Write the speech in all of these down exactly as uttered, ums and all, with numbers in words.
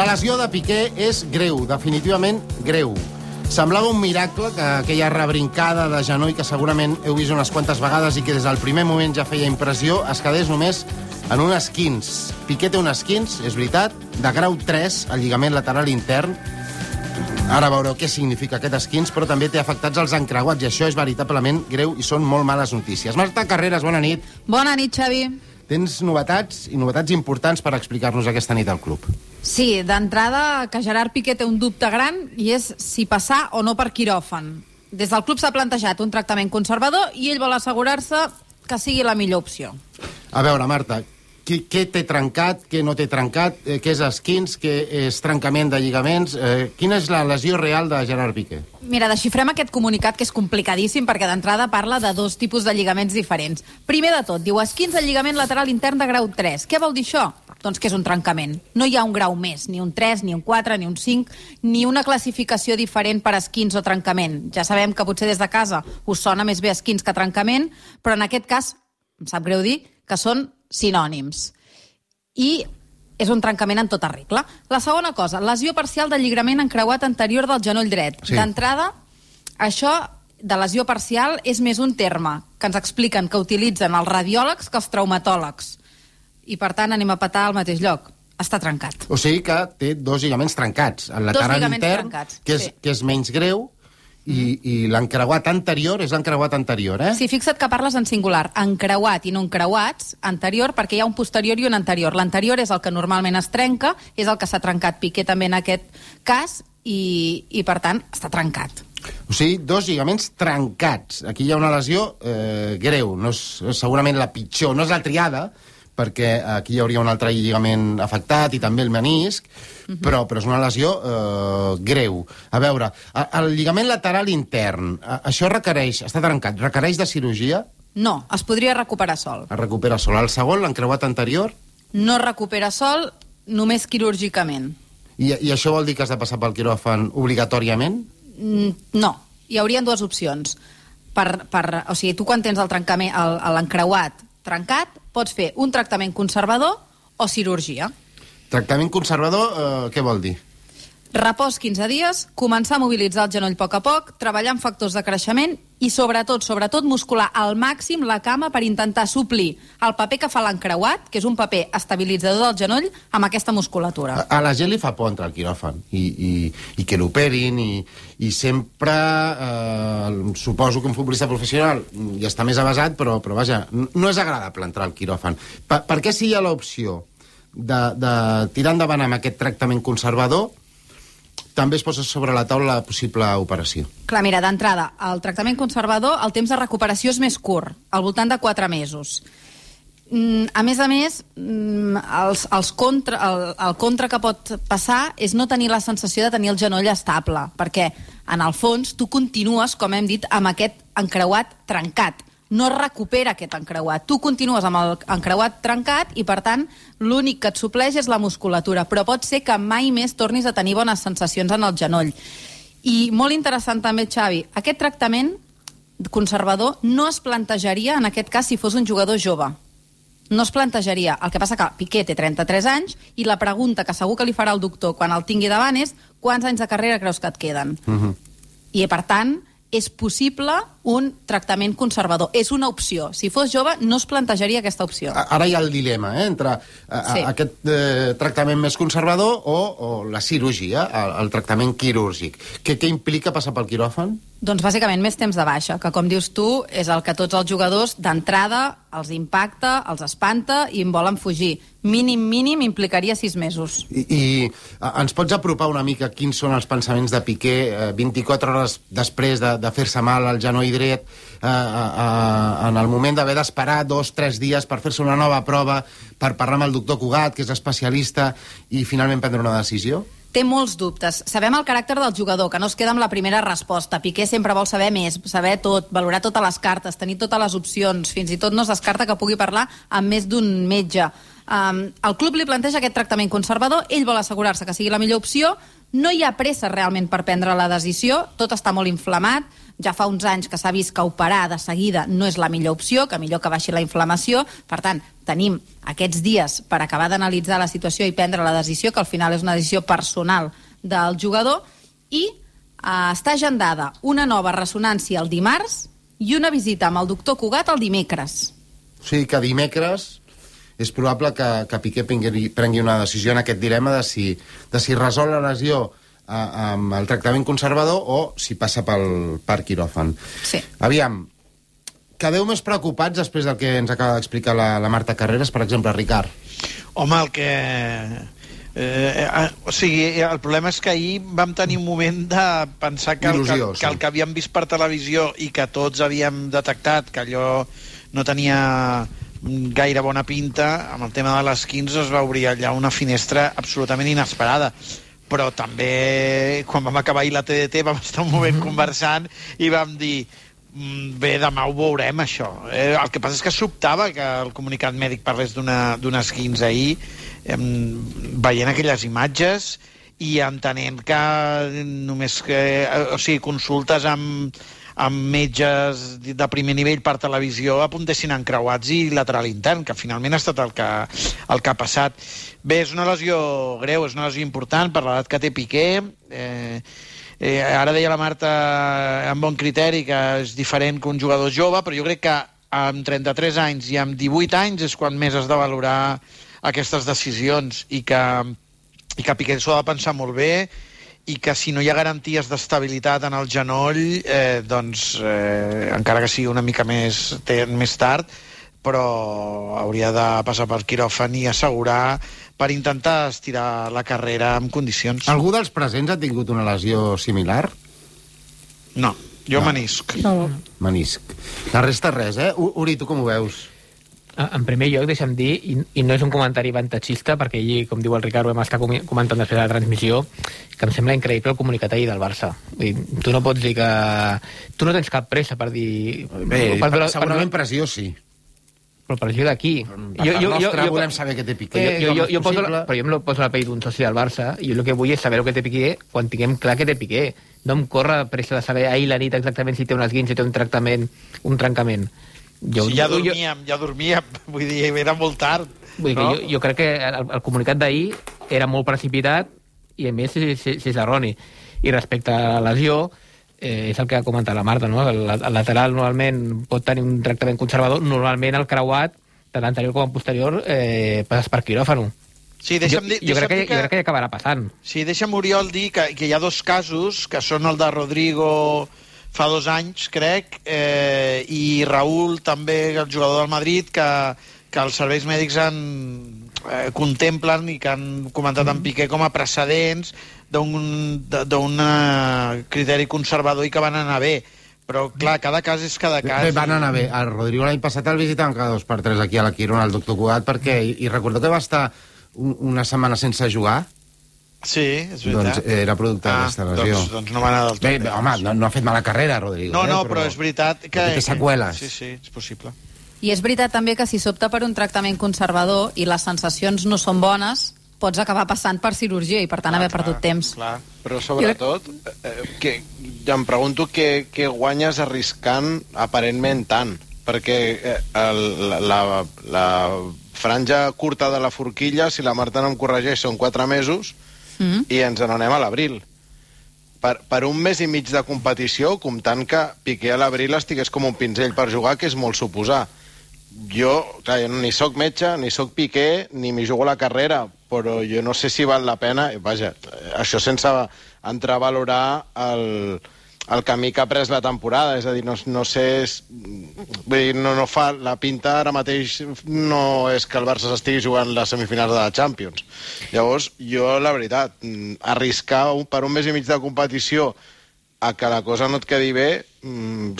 La lesió de Piqué és greu, definitivament greu. Semblava un miracle que aquella rebrincada de genoll que segurament heu vist unes quantes vegades i que des del primer moment ja feia impressió es quedés només en un esquins. Piqué té un esquins, és veritat, de grau tres, al lligament lateral intern. Ara veureu què significa aquest esquins, però també té afectats els encreuats, i això és veritablement greu i són molt males notícies. Marta Carreras, bona nit. Bona nit, Xavi. Tens novetats, i novetats importants per explicar-nos aquesta nit al club. Sí, d'entrada, que Gerard Piqué té un dubte gran, i és si passar o no per quiròfan. Des del club s'ha plantejat un tractament conservador i ell vol assegurar-se que sigui la millor opció. A veure, Marta, Què, què té trencat, què no té trencat, eh, què és esquins, què és trencament de lligaments, eh, quina és la lesió real de Gerard Piqué? Mira, desxifrem aquest comunicat, que és complicadíssim, perquè d'entrada parla de dos tipus de lligaments diferents. Primer de tot, diu esquins del lligament lateral intern de grau tres. Què vol dir això? Doncs que és un trencament. No hi ha un grau més, ni un tres, ni un quatre, ni un cinc, ni una classificació diferent per esquins o trencament. Ja sabem que potser des de casa us sona més bé esquins que trencament, però en aquest cas, em sap greu dir, que són sinònims. I és un trencament en tota regla. La segona cosa, lesió parcial del lligament encreuat anterior del genoll dret. Sí. D'entrada, això de lesió parcial és més un terme que ens expliquen que utilitzen els radiòlegs que els traumatòlegs. I, per tant, anem a petar al mateix lloc. Està trencat. O sigui que té dos lligaments trencats. El lateral intern, trencats, que, és, sí. que és menys greu, i, i l'encreuat anterior és l'encreuat anterior, eh? Sí, fixa't que parles en singular. Encreuat i no encreuats, anterior, perquè hi ha un posterior i un anterior. L'anterior és el que normalment es trenca, és el que s'ha trencat Piqué també en aquest cas, i, i per tant, està trencat. O sigui, dos lligaments trencats. Aquí hi ha una lesió eh, greu. No és, és segurament la pitjor, no és la triada, perquè aquí hi hauria un altre lligament afectat i també el menisc, uh-huh. però, però és una lesió eh, greu. A veure, el lligament lateral intern, això requereix, està trencat, requereix de cirurgia? No, es podria recuperar sol. Es recupera sol. El segon, l'encreuat anterior? No es recupera sol, només quirúrgicament. I, I això vol dir que has de passar pel quiròfan obligatòriament? Mm, no, hi haurien dues opcions. Per, per, o sigui, tu quan tens el trencament, el, l'encreuat trencat, pots fer un tractament conservador o cirurgia. Tractament conservador, eh, què vol dir? Repòs quinze dies, començar a mobilitzar el genoll a poc a poc, treballar amb factors de creixement i, sobretot, sobretot, muscular al màxim la cama per intentar suplir el paper que fa l'encreuat, que és un paper estabilitzador del genoll, amb aquesta musculatura. A, a la gent li fa por entrar al quiròfan i, i, i que l'operin i, i sempre, eh, suposo que un futbolista professional ja està més avasat, però, però vaja, no és agradable entrar al quiròfan. Per, per què si hi ha l'opció de, de tirar endavant amb aquest tractament conservador, també es posa sobre la taula la possible operació? Clar, mira, d'entrada, el tractament conservador, el temps de recuperació és més curt, al voltant de quatre mesos. Mm, a més a més, mm, els, els contra, el, el contra que pot passar és no tenir la sensació de tenir el genoll estable, perquè, en el fons, tu continues, com hem dit, amb aquest encreuat trencat. No es recupera aquest encreuat. Tu continues amb el encreuat trencat i, per tant, l'únic que et supleix és la musculatura, però pot ser que mai més tornis a tenir bones sensacions en el genoll. I molt interessant també, Xavi, aquest tractament conservador no es plantejaria, en aquest cas, si fos un jugador jove. No es plantejaria. El que passa que Piqué té trenta-tres anys i la pregunta que segur que li farà el doctor quan el tingui davant és quants anys de carrera creus que et queden? Uh-huh. I, per tant, és possible un tractament conservador. És una opció. Si fos jove, no es plantejaria aquesta opció. Ara hi ha el dilema, eh?, entre a, a, sí. aquest eh, tractament més conservador o, o la cirurgia, el, el tractament quirúrgic. Què, què implica passar pel quiròfan? Doncs bàsicament més temps de baixa, que com dius tu, és el que tots els jugadors d'entrada els impacta, els espanta i en volen fugir. Mínim, mínim, implicaria sis mesos. I, i ens pots apropar una mica quins són els pensaments de Piqué eh, vint-i-quatre hores després de, de fer-se mal al genoll dret, eh, eh, en el moment d'haver d'esperar dos, tres dies per fer-se una nova prova, per parlar amb el doctor Cugat, que és especialista, i finalment prendre una decisió? Té molts dubtes. Sabem el caràcter del jugador, que no es queda amb la primera resposta. Piqué sempre vol saber més, saber tot, valorar totes les cartes, tenir totes les opcions. Fins i tot no es descarta que pugui parlar amb més d'un metge. Um, el club li planteja aquest tractament conservador, ell vol assegurar-se que sigui la millor opció, no hi ha pressa realment per prendre la decisió, tot està molt inflamat, ja fa uns anys que s'ha vist que operar de seguida no és la millor opció, que millor que baixi la inflamació, per tant, tenim aquests dies per acabar d'analitzar la situació i prendre la decisió, que al final és una decisió personal del jugador, i eh, està agendada una nova ressonància el dimarts i una visita amb el doctor Cugat el dimecres. O sigui que dimecres és probable que, que Piqué prengui, prengui una decisió en aquest dilema de si, de si resol la lesió eh, amb el tractament conservador o si passa pel per quiròfan. Sí. Aviam, quedeu més preocupats després del que ens acaba d'explicar la, la Marta Carreras, per exemple, Ricard? Home, el que... Eh, eh, o sigui, el problema és que ahir vam tenir un moment de pensar que, Il·lusió, el, que, sí. que el que havíem vist per televisió i que tots havíem detectat que allò no tenia gaire bona pinta, amb el tema de les quinze es va obrir allà una finestra absolutament inesperada. Però també, quan vam acabar ahir la T D T, vam estar un moment conversant i vam dir, bé, demà ho veurem, això. Eh, el que passa és que sobtava que el comunicat mèdic parlés d'unes quinze ahir, eh, veient aquelles imatges i entenent que només que, o sigui, consultes amb amb metges de primer nivell per televisió apuntessin encreuats i lateral intern, que finalment ha estat el que, el que ha passat. Bé, és una lesió greu, és una lesió important per l'edat que té Piqué. Eh, eh, ara deia la Marta amb bon criteri que és diferent que un jugador jove, però jo crec que amb trenta-tres anys i amb divuit anys és quan més has de valorar aquestes decisions i que, i que Piqué s'ho ha de pensar molt bé i que si no hi ha garanties d'estabilitat en el genoll, eh, doncs, eh, encara que sigui una mica més, més tard, però hauria de passar per quiròfan i assegurar per intentar estirar la carrera en condicions. Algú dels presents ha tingut una lesió similar? No, jo no. menisc. No. Menisc. La resta res, eh? Uri, tu com ho veus? En primer lloc, deixa'm dir, i, i no és un comentari avantatgista, perquè allí, com diu el Ricard, ho vam estar comentant després de la transmissió, que em sembla increïble el comunicat ahir del Barça. Vull dir, tu no pots dir que... Tu no tens cap pressa per dir... Bé, per, per, segurament per... pressió sí. Però pressió d'aquí. Per jo, jo, nostre jo, volem saber què té Piqué. Jo, jo, jo poso la, però jo em poso la pell d'un soci del Barça i jo el que vull és saber el que té Piqué quan tinguem clar que té Piqué. No em corre pressa de saber ahir la nit exactament si té un esguinç, si té un tractament, un trencament. Jo, sí, ja dormíem, jo... ja dormíem, vull dir, era molt tard. Vull dir no? que jo, jo crec que el, el comunicat d'ahir era molt precipitat i a més si, si, si és erroni. I respecte a la lesió, eh, és el que ha comentat la Marta, no? El, el lateral normalment pot tenir un tractament conservador, normalment el creuat, tant anterior com posterior, eh, passes per quiròfano. Sí, deixa'm dir, jo, jo, crec que, que... jo crec que ja acabarà passant. Sí, deixa'm, Oriol, dir que, que hi ha dos casos, que són el de Rodrigo fa dos anys, crec, eh, i Raúl, també, el jugador del Madrid, que, que els serveis mèdics han, eh, contemplen i que han comentat en Piqué com a precedents d'un criteri conservador i que van anar bé. Però, clar, cada cas és cada cas. Bé, van anar bé. El Rodrigo l'any passat el visitaven cada dos per tres aquí a la Quirona, el doctor Cugat, perquè, i, i recordo que va estar un, una setmana sense jugar. Sí, és veritat. Doncs era producte ah, d'aquesta lesió. Doncs, doncs no va anar del tot. Bé, bé home, no, no ha fet mala carrera, Rodrigo. No, no, eh, però, però és veritat que... que té seqüeles. Sí, sí, és possible. I és veritat també que si s'opta per un tractament conservador i les sensacions no són bones, pots acabar passant per cirurgia i per tant ah, haver clar, perdut temps. Clar. Però sobretot, eh, que, em pregunto què, què guanyes arriscant aparentment tant, perquè eh, el, la, la, la franja curta de la forquilla, si la Marta no em corregeix, són quatre mesos, Mm. i ens n'anem a l'abril. Per, per un mes i mig de competició, comptant que Piqué a l'abril estigués com un pinzell per jugar, que és molt suposar. Jo, clar, jo ni sóc metge, ni sóc Piqué, ni m'hi jugo la carrera, però jo no sé si val la pena, vaja, això sense entrar a valorar el, el camí que ha pres la temporada, és a dir, no, no sé, és, vull dir, no, no fa, la pinta ara mateix no és que el Barça s'estigui jugant les semifinals de la Champions. Llavors, jo, la veritat, arriscar un, per un mes i mig de competició a que la cosa no et quedi bé,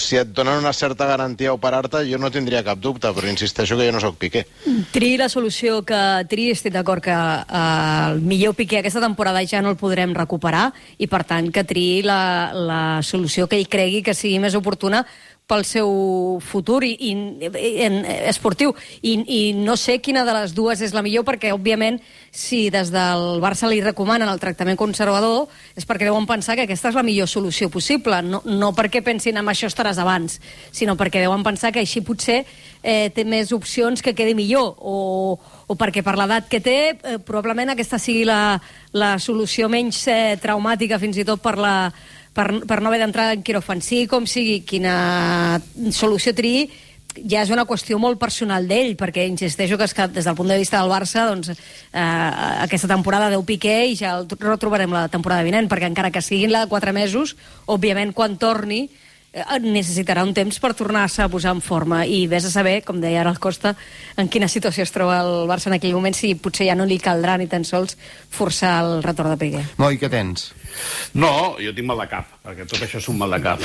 si et donen una certa garantia a operar-te, jo no tindria cap dubte, però insisteixo que jo no sóc Piqué. Triï la solució que triï, estic d'acord que eh, el millor Piqué aquesta temporada ja no el podrem recuperar i, per tant, que triï la, la solució que ell cregui que sigui més oportuna pel seu futur i, i, en, esportiu. I, I no sé quina de les dues és la millor, perquè, òbviament, si des del Barça li recomanen el tractament conservador, és perquè deuen pensar que aquesta és la millor solució possible. No, no perquè pensin en això estaràs abans, sinó perquè deuen pensar que així potser eh, té més opcions que quedi millor, o, o perquè per l'edat que té, eh, probablement aquesta sigui la, la solució menys eh, traumàtica, fins i tot per la Per, per no haver d'entrar en quiròfan. Sí, com sigui, quina solució triï, ja és una qüestió molt personal d'ell, perquè insisteixo que, és que des del punt de vista del Barça, doncs, eh, aquesta temporada deu Piqué i ja el retrobarem la temporada vinent, perquè encara que siguin la de quatre mesos, òbviament, quan torni, eh, necessitarà un temps per tornar-se a posar en forma, i vés a saber, com deia ara el Costa, en quina situació es troba el Barça en aquell moment, si potser ja no li caldrà ni tan sols forçar el retorn de Piqué. Moi, què tens? No, jo tinc mal de cap, perquè tot això és un mal de cap.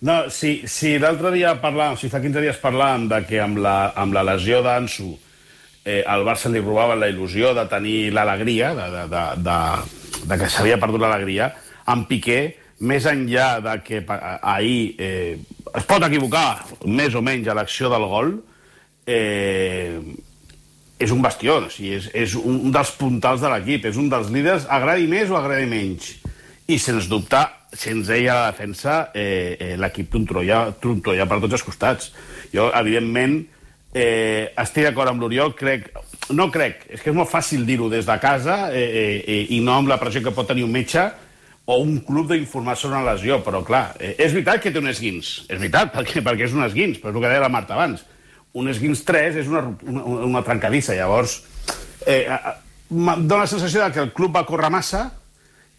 No, si, si l'altre dia parlàvem, si fa quinze dies parlàvem de que amb la, amb la lesió d'Ansu eh, el Barça li robava la il·lusió de tenir l'alegria, de, de, de, de, de que s'havia perdut l'alegria, amb Piqué, més enllà de que ahir eh, es pot equivocar més o menys a l'acció del gol, eh, és un bastió, o sigui, és, és un dels puntals de l'equip, és un dels líders, agradi més o agradi menys. I, sens dubte, sense ell a la defensa, eh, eh, l'equip trontolla, trontolla per tots els costats. Jo, evidentment, eh, estic d'acord amb l'Oriol, crec... No crec, és que és molt fàcil dir-ho des de casa eh, eh, i no amb la pressió que pot tenir un metge o un club d'informar sobre una lesió, però, clar, eh, és veritat que té un esguins, és veritat, perquè, perquè és un esguins, però és el que deia la Marta abans. Un esguins tres és una, una, una trencadissa. Llavors, eh, dona la sensació de que el club va córrer massa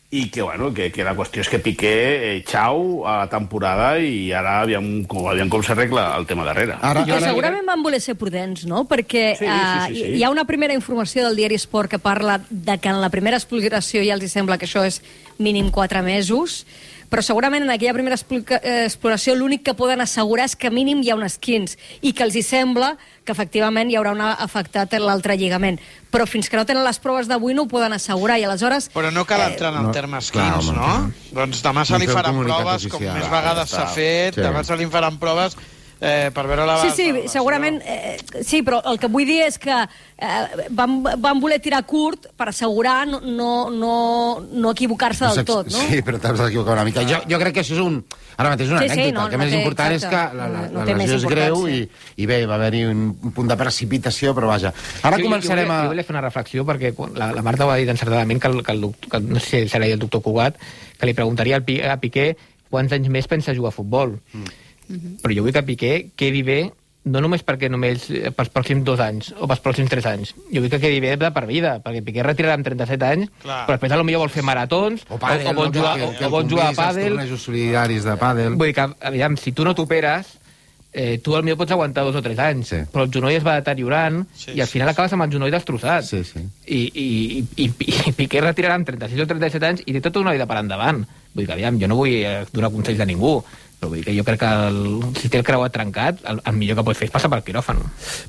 i que, bueno, que, que la qüestió és que Piqué, eh, xau, a la temporada, i ara aviam com, aviam com s'arregla el tema darrere. Ara, ara... Segurament van voler ser prudents, no? Perquè sí, sí, sí, sí. Uh, hi ha una primera informació del diari Sport que parla de que en la primera exploració ja els sembla que això és mínim quatre mesos, però segurament en aquella primera exploració l'únic que poden assegurar és que mínim hi ha un esquins i que els hi sembla que efectivament hi haurà una afectat l'altre lligament. Però fins que no tenen les proves d'avui no ho poden assegurar, i aleshores... Però no cal entrar en el terme esquins, no? Doncs demà se li faran proves, com més vegades s'ha fet, demà se li faran proves eh, per veure la... Sí, sí, segurament... Eh, sí, però el que vull dir és que eh, van, van voler tirar curt per assegurar no, no, no, no equivocar-se del tot, no? Sí, però t'has d'equivocar una mica. Jo, jo crec que això és un... Ara mateix és una sí, anècdota. Sí, no, el que no més té, important exacte. És que la, la, no, la lesió és greu i, i bé, va haver-hi un, un punt de precipitació, però vaja. Ara jo, començarem jo, jo, a... Jo volia fer una reflexió, perquè la, la Marta ho ha dit encertadament, que, el, que, el doctor, que no sé si serà el doctor Cugat, que li preguntaria a Piqué quants anys més pensa jugar a futbol. Mm. Mm-hmm. Però jo vull que Piqué quedi bé, no només perquè només pels pròxims dos anys o pels pròxims tres anys. Jo vull que quedi bé de per vida, perquè Piqué retirarà amb trenta-set anys, clar. Però després potser vol fer maratons o, pàdel, o, o, vol jugar, que, que, o, o vol jugar a pàdel. Els tornejos solidaris de pàdel. Vull dir que, aviam, si tu no t'operes, eh, tu potser pots aguantar dos o tres anys, sí. Però el genoll es va deteriorant sí, i al final sí, acabes amb el genoll destrossat. Sí, sí. I, i, i, i Piqué retirarà amb trenta-sis o trenta-set anys i té tota una vida per endavant. Vull dir que, aviam, jo no vull donar consells de ningú, però vull dir que jo crec que el, si té el creuat trencat, el, el millor que pot fer és passar pel quiròfan.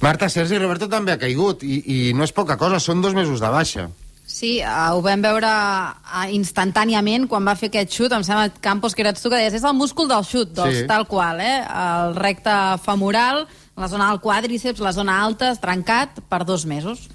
Marta, Sergi Roberto també ha caigut, i, i no és poca cosa, són dos mesos de baixa. Sí, uh, ho vam veure uh, instantàniament quan va fer aquest xut. Em sembla, Campos, que eres tu que deies, és el múscul del xut, doncs, sí. Tal qual, eh? El recte femoral, la zona del quàdriceps, la zona alta, trencat per dos mesos.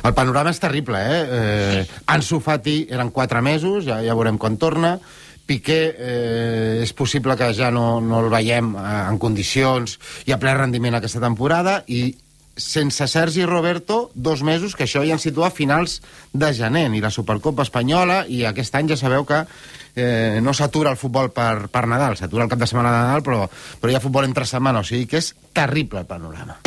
El panorama és terrible, eh? eh Ansu Fati eren quatre mesos, ja, ja veurem quan torna. Piqué eh, és possible que ja no, no el veiem eh, en condicions i a ple rendiment aquesta temporada, i sense Sergi Roberto, dos mesos, que això ja ens situa a finals de gener, i la Supercopa Espanyola, i aquest any ja sabeu que eh, no s'atura el futbol per, per Nadal, s'atura el cap de setmana de Nadal, però, però hi ha futbol entre setmana, o sigui que és terrible el panorama.